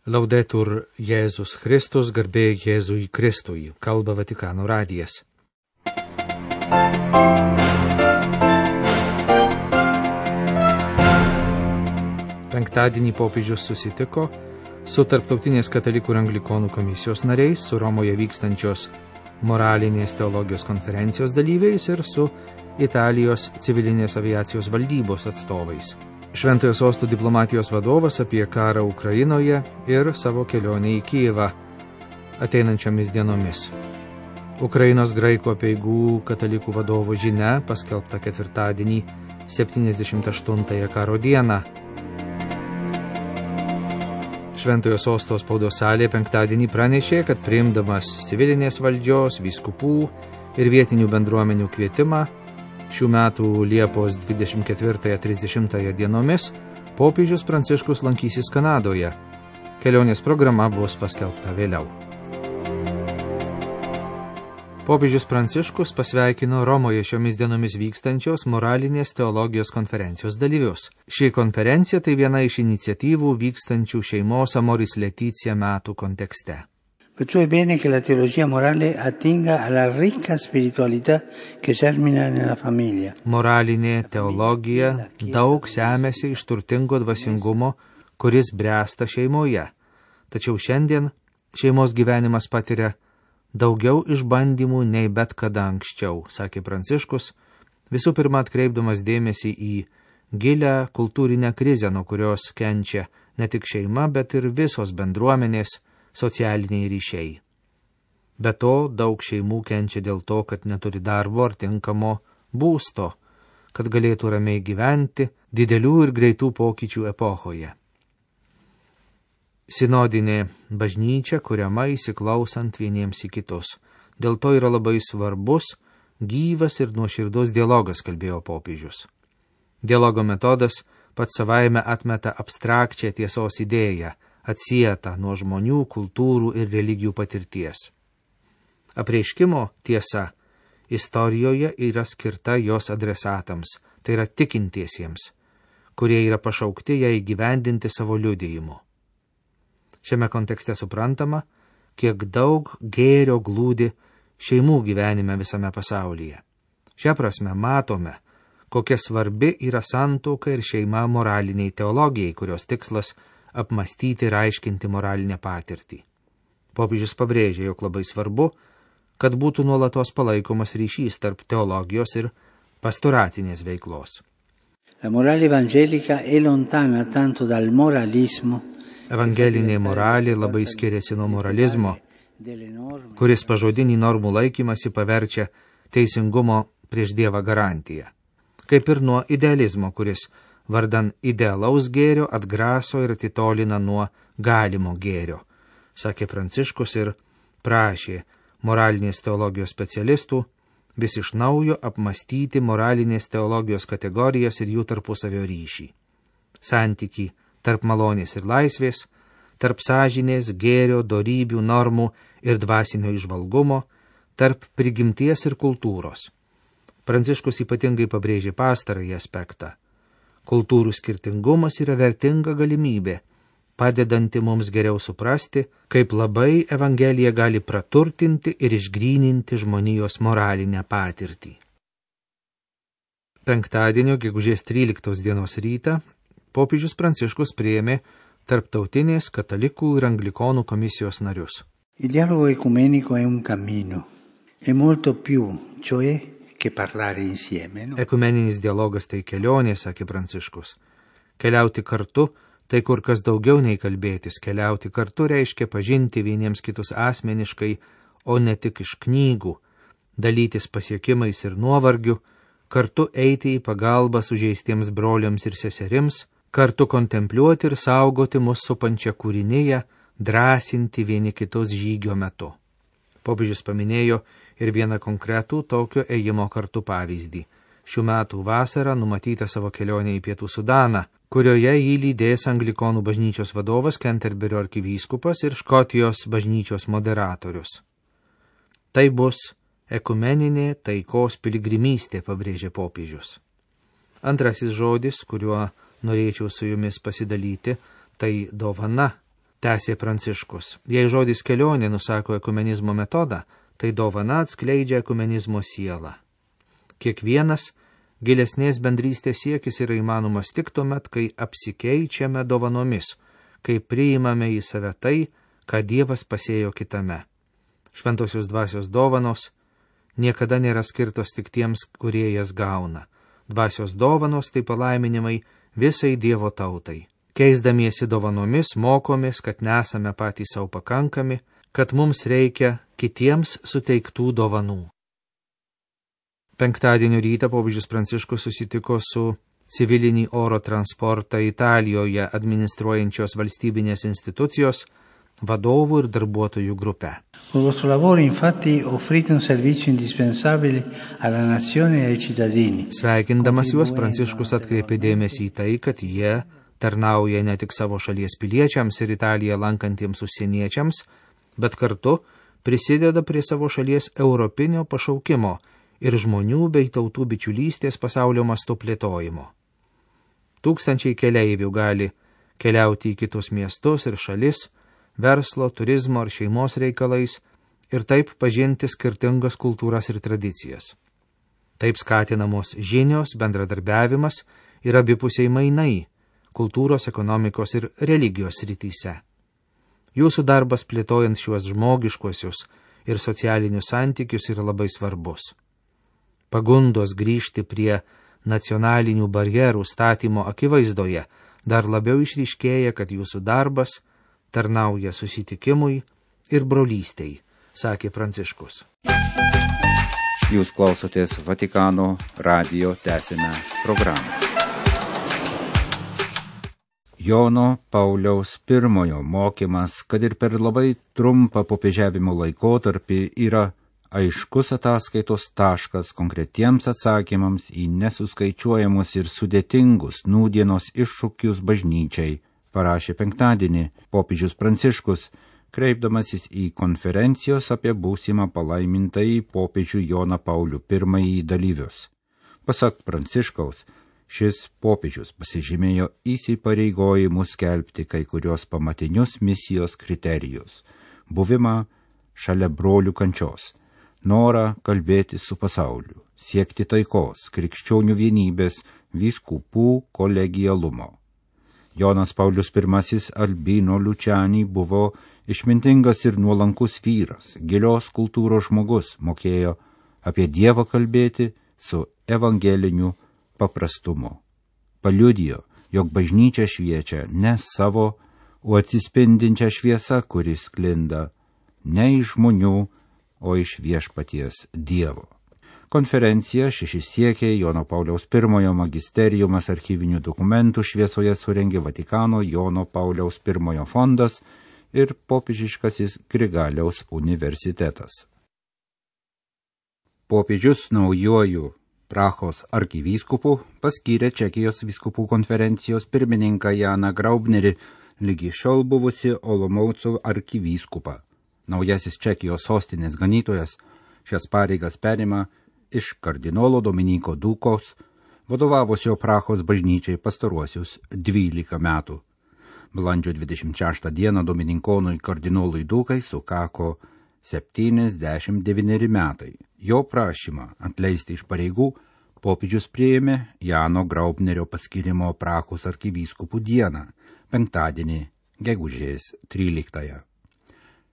Laudetur Jėzus Kristus, garbė Jėzui Kristui, kalba Vatikano radijas. Penktadienį popiežius susitiko su Tarptautinės katalikų ir anglikonų komisijos nariais, su Romoje vykstančios moralinės teologijos konferencijos dalyviais ir su Italijos civilinės aviacijos valdybos atstovais. Šventojo sosto diplomatijos vadovas apie karą Ukrainoje ir savo kelionę į Kijevą ateinančiomis dienomis. Ukrainos graikų apeigų katalikų vadovo žinia paskelbta ketvirtadienį 78-ąją karo dieną. Šventojo sosto spaudos salė penktadienį pranešė, kad priimdamas civilinės valdžios, vyskupų ir vietinių bendruomenių kvietimą šių metų Liepos 24-30 dienomis popiežius Pranciškus lankysis Kanadoje. Kelionės programa bus paskelbta vėliau. Popiežius Pranciškus pasveikino Romoje šiomis dienomis vykstančios moralinės teologijos konferencijos dalyvius. Ši konferencija tai viena iš iniciatyvų vykstančių šeimos Amoris Laetitia metų kontekste. Perciò è bene che la teologia morale attinga alla ricca spiritualità che germina nella famiglia. Moralinė teologija daug semiasi iš turtingo dvasingumo, kuris bręsta šeimoje. Tačiau šiandien šeimos gyvenimas patiria daugiau išbandymų nei bet kada anksčiau, sakė Pranciškus, visų pirma atkreipdamas dėmesį į gilią kultūrinę krizę, nuo kurios kenčia ne tik šeima, bet ir visos bendruomenės, socialiniai ryšiai. Be to, daug šeimų kenčia dėl to, kad neturi darbo ar tinkamo būsto, kad galėtų ramiai gyventi didelių ir greitų pokyčių epochoje. Sinodinė bažnyčia kuriama įsiklausant vieniems į kitus. Dėl to yra labai svarbus, gyvas ir nuoširdus dialogas, kalbėjo popiežius. Dialogo metodas pats savaime atmeta abstrakčią tiesos idėją, atsietą nuo žmonių, kultūrų ir religijų patirties. Apreiškimo tiesa istorijoje yra skirta jos adresatams, tai yra tikintiesiems, kurie yra pašaukti ją įgyvendinti savo liudijimu. Šiame kontekste suprantama, kiek daug gėrio glūdi šeimų gyvenime visame pasaulyje. Šia prasme matome, kokia svarbi yra santuoka ir šeima moraliniai teologijai, kurios tikslas apmastyti ir aiškinti moralinę patirtį. Popiežius pabrėžė, jog labai svarbu, kad būtų nuolatos palaikomas ryšys tarp teologijos ir pastoracinės veiklos. La morale evangelica è lontana tanto dal moralismo. Evangelinė moralė labai skiriasi nuo moralizmo, kuris pažodinį normų laikymasi paverčia teisingumo prieš Dievą garantiją, kaip ir nuo idealizmo, kuris vardan idealaus gėrio atgraso ir atitolina nuo galimo gėrio, sakė Pranciškus ir prašė moralinės teologijos specialistų vis iš naujo apmastyti moralinės teologijos kategorijas ir jų tarpusavio ryšį. Santykį tarp malonės ir laisvės, tarp sąžinės, gėrio, dorybių, normų ir dvasinio įžvalgumo, tarp prigimties ir kultūros. Pranciškus ypatingai pabrėžė pastarąjį aspektą. Kultūrų skirtingumas yra vertinga galimybė, padedanti mums geriau suprasti, kaip labai Evangelija gali praturtinti ir išgryninti žmonijos moralinę patirtį. Penktadienio, gegužės 13 dienos rytą, popiežius Pranciškus priėmė Tarptautinės katalikų ir anglikonų komisijos narius. Il dialogo ecumenico è un cammino, è molto più, cioè che parlare insieme. No? Ekumeninis dialogas tai kelionė, sakė Pranciškus. Keliauti kartu tai kur kas daugiau nei kalbėtis. Keliauti kartu reiškia pažinti vieniems kitus asmeniškai, o ne tik iš knygų, dalytis pasiekimais ir nuovargiu, kartu eiti į pagalbą sužeistiems broliams ir seserims, kartu kontempliuoti ir saugoti mus supančią kūriniją, drąsinti vieni kitus žygio metu. Popiežius paminėjo ir vieną konkretų tokio ėjimo kartu pavyzdį. Šių metų vasarą numatyta savo kelionė į Pietų Sudaną, kurioje jį lydės anglikonų bažnyčios vadovas Kenterberio arkivyskupas ir Škotijos bažnyčios moderatorius. Tai bus ekumeninė taikos piligrimystė, pabrėžė popiežius. Antrasis žodis, kuriuo norėčiau su jumis pasidalyti, tai dovana. Tęsė Pranciškus. Jei žodis kelionė nusako ekumenizmo metodą, tai dovana atskleidžia ekumenizmo sielą. Kiekvienas gilesnės bendrystės siekis yra įmanomas tik tuomet, kai apsikeičiame dovanomis, kai priimame į save tai, ką Dievas pasėjo kitame. Šventosios dvasios dovanos niekada nėra skirtos tik tiems, kurie jas gauna. Dvasios dovanos tai palaiminimai visai Dievo tautai. Keisdamiesi dovanomis mokomės, kad nesame patys savo pakankami, kad mums reikia kitiems suteiktų dovanų. Penktadienio rytą popiežius Pranciškus susitiko su civilinį oro transportą Italijoje administruojančios valstybinės institucijos vadovų ir darbuotojų grupe. Con vostro lavoro infatti offrite un servizio indispensabile alla nazione e ai cittadini. Sveikindamas juos, Pranciškus atkreipė dėmesį į tai, kad jie tarnauja ne tik savo šalies piliečiams ir Italiją lankantiems užsieniečiams, bet kartu prisideda prie savo šalies europinio pašaukimo ir žmonių bei tautų bičiulystės pasaulio mastu plėtojimo. Tūkstančiai keleivių gali keliauti į kitus miestus ir šalis, verslo, turizmo ar šeimos reikalais ir taip pažinti skirtingas kultūras ir tradicijas. Taip skatinamos žinios, bendradarbiavimas ir abipusiai mainai kultūros, ekonomikos ir religijos srityse. Jūsų darbas plėtojant šiuos žmogiškuosius ir socialinius santykius yra labai svarbus. Pagundos grįžti prie nacionalinių barjerų statymo akivaizdoje dar labiau išryškėja, kad jūsų darbas tarnauja susitikimui ir brolystei, sakė Pranciškus. Jūs klausotės Vatikano radijo tęsiame programą. Jono Pauliaus I mokymas, kad ir per labai trumpą popiežiavimo laikotarpį, yra aiškus ataskaitos taškas konkretiems atsakymams į nesuskaičiuojamus ir sudėtingus nūdienos iššūkius bažnyčiai, parašė penktadienį popiežius Pranciškus, kreipdamasis į konferencijos apie būsimą palaimintąjį popiežių Joną Paulių I dalyvius. Pasak Pranciškaus, šis popiežius pasižymėjo įsipareigojimus skelbti kai kurios pamatinius misijos kriterijus – buvimą šalia brolių kančios, norą kalbėti su pasauliu, siekti taikos, krikščionių vienybės, vyskupų kolegialumo. Jonas Paulius I Albino Luciani buvo išmintingas ir nuolankus vyras, gilios kultūros žmogus, mokėjo apie Dievą kalbėti su evangeliniu paprastumu. Paliudijo, jog bažnyčia šviečia ne savo, o atsispindinčią šviesą, kuris sklinda ne iš žmonių, o iš viešpaties Dievo. Konferencija šešisiekiai Jono Pauliaus I magisteriumas archyvinių dokumentų šviesoje surengė Vatikano Jono Pauliaus I fondas ir popiežiškasis Grigaliaus universitetas. Popiežius naujuoju Prahos arkivyskupu paskyrė Čekijos vyskupų konferencijos pirmininką Janą Graubnerį, lygi šiol buvusi Olomouco arkivyskupą. Naujasis Čekijos sostinės ganytojas šias pareigas perima iš kardinolo Dominiko Dūkos, vadovavusio Prahos bažnyčiai pastaruosius 12 metų. Balandžio 26 dieną domininkonui kardinolui Dūkai sukako 79 metai. Jo prašymą atleisti iš pareigų popiežius priėmė Jano Graubnerio paskyrimo Prahos arkivyskupų dieną, penktadienį, gegužės 13.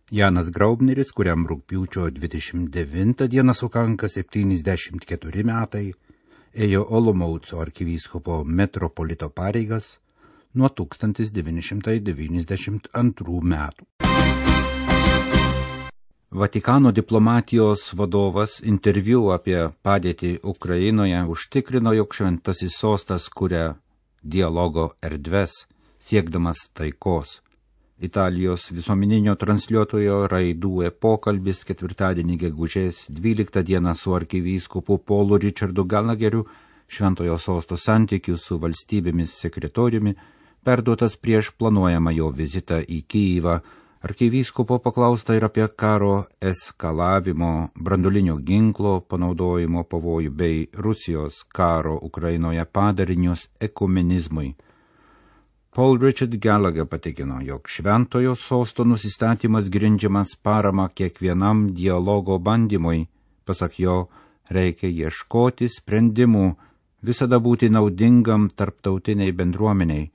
Janas Graubneris, kuriam rugpjūčio 29 dieną sukanka 74 metai, ėjo Olomouco arkivyskupo metropolito pareigas nuo 1992 metų. Vatikano diplomatijos vadovas interviu apie padėtį Ukrainoje užtikrino, jog šventasis sostas kuria dialogo erdves, siekdamas taikos. Italijos visuomeninio transliuotojo Raidue pokalbis ketvirtadienį gegužės 12 dieną su arkivyskupu Paulu Richardu Gallagheriu šventojo sosto santykių su valstybėmis sekretoriumi perduotas prieš planuojamą jo vizitą į Kyjivą. Arkivyskupo paklausta ir apie karo eskalavimo, branduolinio ginklo panaudojimo pavojų bei Rusijos karo Ukrainoje padarinius ekumenizmui. Paul Richard Gallagher patikino, jog šventojo sosto nusistatymas grindžiamas parama kiekvienam dialogo bandymui. Pasak jo, reikia ieškoti sprendimų, visada būti naudingam tarptautiniai bendruomeniai.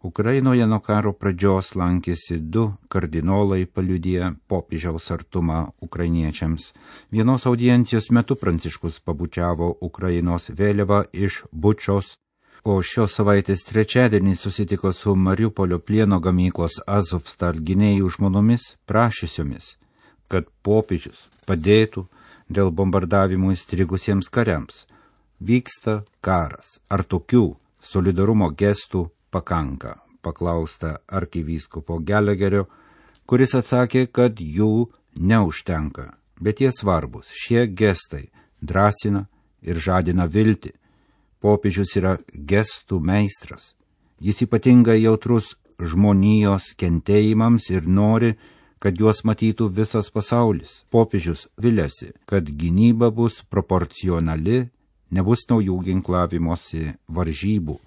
Ukrainoje nuo karo pradžios lankėsi 2 kardinolai paliudiję popiežiaus artumą ukrainiečiams. Vienos audiencijos metu Pranciškus pabučiavo Ukrainos vėliavą iš Bučos, o šios savaitės trečiadienį susitiko su Mariupolio plieno gamyklos Azovstal gynėjų žmonomis prašysiomis, kad popiežius padėtų dėl bombardavimų įstrigusiems kariams. Vyksta karas. Ar tokių solidarumo gestų pakanka? Paklausta arkivyskupo Gallagherio, kuris atsakė, kad jų neužtenka, bet jie svarbus. Šie gestai drąsina ir žadina viltį. Popiežius yra gestų meistras. Jis ypatingai jautrus žmonijos kentėjimams ir nori, kad juos matytų visas pasaulis. Popiežius viliasi, kad gynyba bus proporcionali, nebus naujų ginklavimosi varžybų.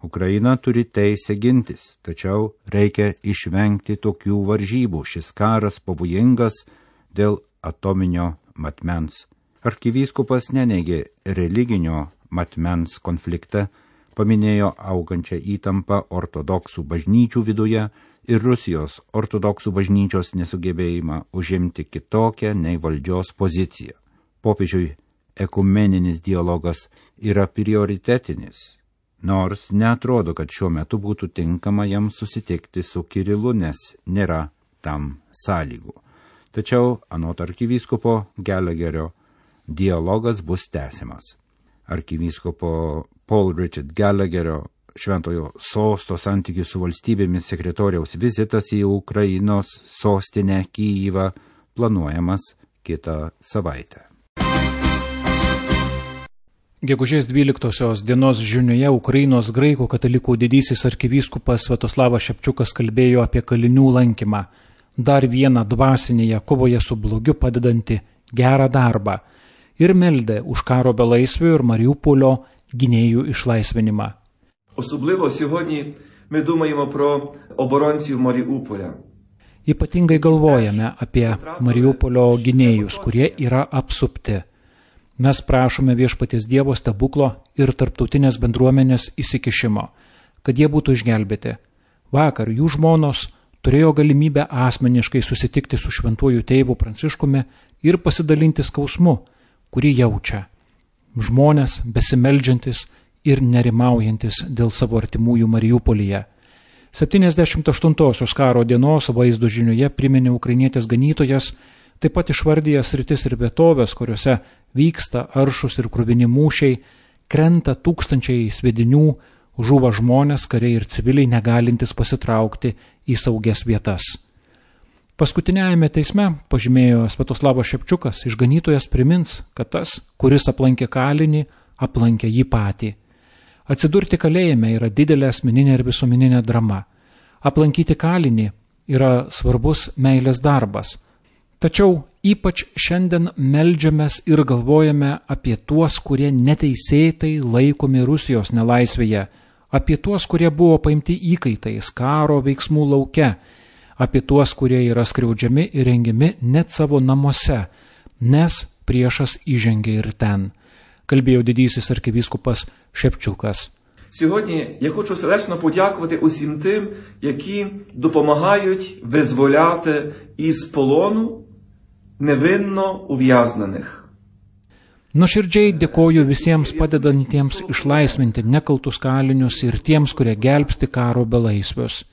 Ukraina turi teisę gintis, tačiau reikia išvengti tokių varžybų. Šis karas pavojingas dėl atominio matmens. Arkivyskupas neneigė religinio matmens konfliktą, paminėjo augančią įtampą ortodoksų bažnyčių viduje ir Rusijos ortodoksų bažnyčios nesugebėjimą užimti kitokią nei valdžios poziciją. Popiežiui ekumeninis dialogas yra prioritetinis, nors neatrodo, kad šiuo metu būtų tinkama jam susitikti su Kirilu, nes nėra tam sąlygų. Tačiau, anot arkivyskupo Gallagherio, dialogas bus tęsiamas. Arkivyskupo Paul Richard Gallagherio šventojo sosto santykių su valstybėmis sekretoriaus vizitas į Ukrainos sostinę Kyjivą planuojamas kitą savaitę. Gegužės 12 dienos žinioje Ukrainos graikų katalikų didysis arkivyskupas Sviatoslavas Šepčiukas kalbėjo apie kalinių lankymą, dar vieną dvasinėje kovoje su blogiu padedantį gerą darbą, ir meldė už karo belaisvių ir Mariupolio gynėjų išlaisvinimą. Особливо сьогодні ми думаємо про оборонців Маріуполя. Ypatingai galvojame apie Mariupolio gynėjus, kurie yra apsupti. Mes prašome viešpaties Dievo stebuklo ir tarptautinės bendruomenės įsikišimo, kad jie būtų išgelbėti. Vakar jų žmonos turėjo galimybę asmeniškai susitikti su šventuoju tėvu Pranciškumi ir pasidalinti skausmu, kurį jaučia. Žmonės besimeldžiantis ir nerimaujantis dėl savo artimųjų Mariupolyje. 78-osios karo dienos vaizdo žinioje priminė ukrainietės ganytojas, taip pat išvardija sritis ir vietovės, kuriuose vyksta aršus ir kruvini mūšiai, krenta tūkstančiai sviedinių, žūva žmonės, kariai ir civiliai negalintis pasitraukti į saugias vietas. Paskutiniajame teisme, pažymėjo Sviatoslavas Šepčiukas, išganytojas primins, kad tas, kuris aplankė kalinį, aplankė jį patį. Atsidurti kalėjime yra didelė asmeninė ir visuomeninė drama. Aplankyti kalinį yra svarbus meilės darbas. Tačiau ypač šiandien meldžiamės ir galvojame apie tuos, kurie neteisėtai laikomi Rusijos nelaisvėje, apie tuos, kurie buvo paimti įkaitais karo veiksmų lauke, apie tuos, kurie yra skriaudžiami ir rengiami net savo namuose, nes priešas įžengia ir ten. Kalbėjo didysis arkivyskupas Шепчукас. Сьогодні я хочу сердечно подякувати усім тим, які допомагають визволяти із полону невинно ув'язнених. Nuoširdžiai dėkoju visiems padedantiems išlaisvinti nekaltus kalinius ir tiems, kurie gelbsti karo belaisvius.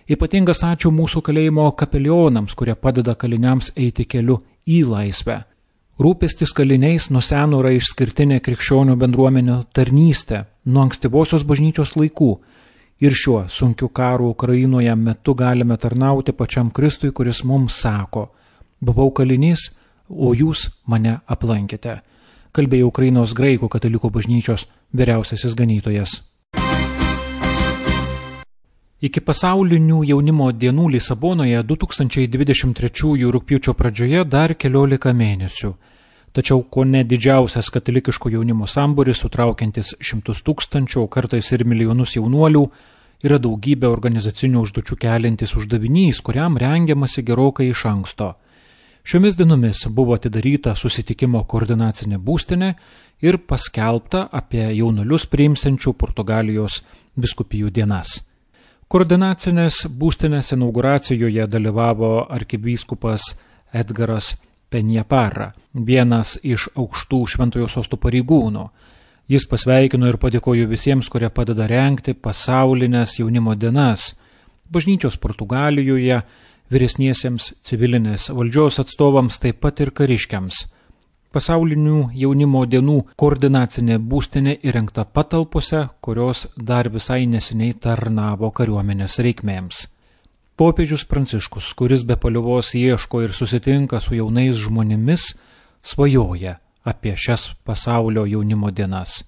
Ypatingas ačiū mūsų kalėjimo kapelionams, kurie padeda kaliniams eiti keliu į laisvę. Rūpestis kaliniais nuo seno yra išskirtinė krikščionių bendruomenių tarnystė nuo ankstyvosios bažnyčios laikų ir šiuo sunkiu karu Ukrainoje metu galime tarnauti pačiam Kristui, kuris mums sako: buvau kalinys, o jūs mane aplankėte. Kalbėjo Ukrainos graikų katalikų bažnyčios vyriausiasis ganytojas. Iki pasaulinių jaunimo dienų Lisabonoje 2023 rugpjūčio pradžioje dar 14 mėnesių. Tačiau kone didžiausias katalikiško jaunimo sambūris, sutraukiantis 100 000, o kartais ir milijonus jaunuolių, yra daugybė organizacinių užduočių keliantis uždavinys, kuriam rengiamasi gerokai iš anksto. Šiomis dienomis buvo atidaryta susitikimo koordinacinė būstinė ir paskelbta apie jaunuolius priimsiančių Portugalijos vyskupijų dienas. Koordinacinės būstinės inauguracijoje dalyvavo arkivyskupas Edgaras Penjaparra, vienas iš aukštų Šventojo Sosto pareigūnų. Jis pasveikino ir padėkojo visiems, kurie padeda rengti pasaulinės jaunimo dienas bažnyčios Portugalijoje, vyresniesiems civilinės valdžios atstovams, taip pat ir kariškiams. Pasaulinių jaunimo dienų koordinacinė būstinė įrengta patalpose, kurios dar visai neseniai tarnavo kariuomenės reikmėms. Popiežius Pranciškus, kuris be paliovos ieško ir susitinka su jaunais žmonėmis, svajoja apie šias pasaulio jaunimo dienas.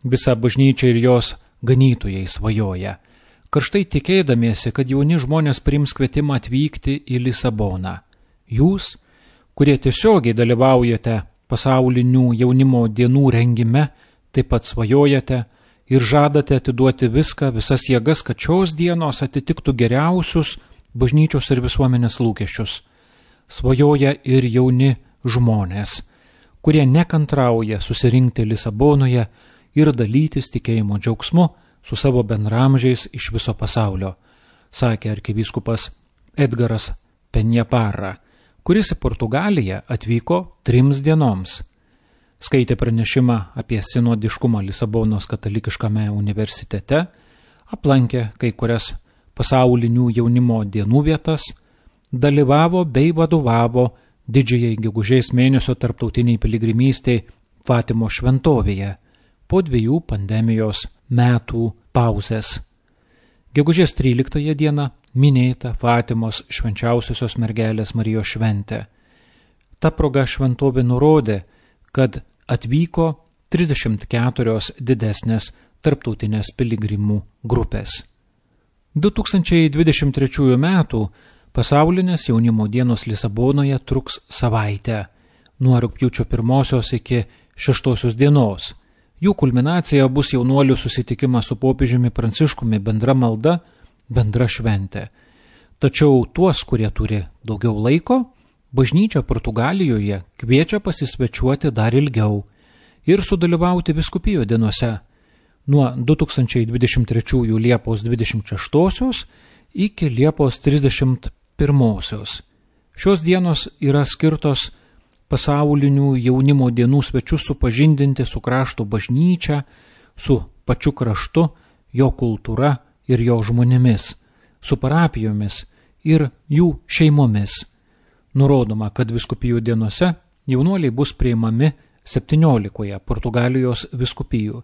Visa bažnyčia ir jos ganytojai svajoja, karštai tikėdamiesi, kad jauni žmonės priims kvietimą atvykti į Lisaboną. Jūs, kurie tiesiogiai dalyvaujate pasaulinių jaunimo dienų rengime, taip pat svajojate ir žadate atiduoti visas jėgas, kad šios dienos atitiktų geriausius bažnyčios ir visuomenės lūkesčius. Svajoja ir jauni žmonės, kurie nekantrauja susirinkti Lisabonoje ir dalytis tikėjimo džiaugsmu su savo bendramžiais iš viso pasaulio, sakė arkivyskupas Edgaras Penjaparra, kuris į Portugaliją atvyko 3 dienoms. Skaitė pranešimą apie sinodiškumą Lisabonos katalikiškame universitete, aplankė kai kurias pasaulinių jaunimo dienų vietas, dalyvavo bei vadovavo didžiajai gegužės mėnesio tarptautiniai piligrimystei Fatimo šventovėje po 2 pandemijos metų pauzės. Gegužės 13 dieną minėta Fatimos švenčiausiosios mergelės Marijos šventė. Ta proga šventovė nurodė, kad atvyko 34 didesnės tarptautinės piligrimų grupės. 2023 metų pasaulinės jaunimo dienos Lisabonoje truks savaitę, nuo rugpjūčio 1 iki 6 dienos. Jų kulminacija bus jaunuolių susitikimas su popiežiumi Pranciškumi, bendra malda, bendra šventė. Tačiau tuos, kurie turi daugiau laiko, bažnyčia Portugalijoje kviečia pasisvečiuoti dar ilgiau ir sudalyvauti vyskupijų dienose nuo 2023 Liepos 26 iki Liepos 31. Šios dienos yra skirtos pasaulinių jaunimo dienų svečius supažindinti su krašto bažnyčia, su pačiu kraštu, jo kultūra ir jo žmonėmis, su parapijomis ir jų šeimomis. Nurodoma, kad vyskupijų dienose jaunuoliai bus priimami 17 Portugalijos vyskupijų,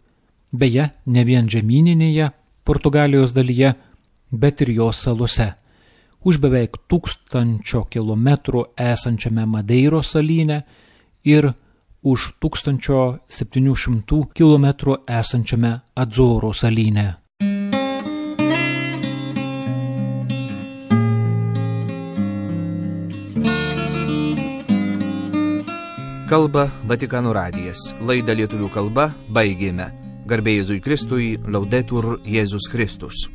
beje, ne vien žemyninėje Portugalijos dalyje, bet ir jos salose. Už beveik 1000 kilometrų esančiame Madeiros salyne ir už 1700 kilometrų esančiame Adzoro salyne. Kalba Vatikano radijas. Laidą lietuvių kalba baigėme. Garbė Jėzui Kristui, Laudetur Jėzus Kristus.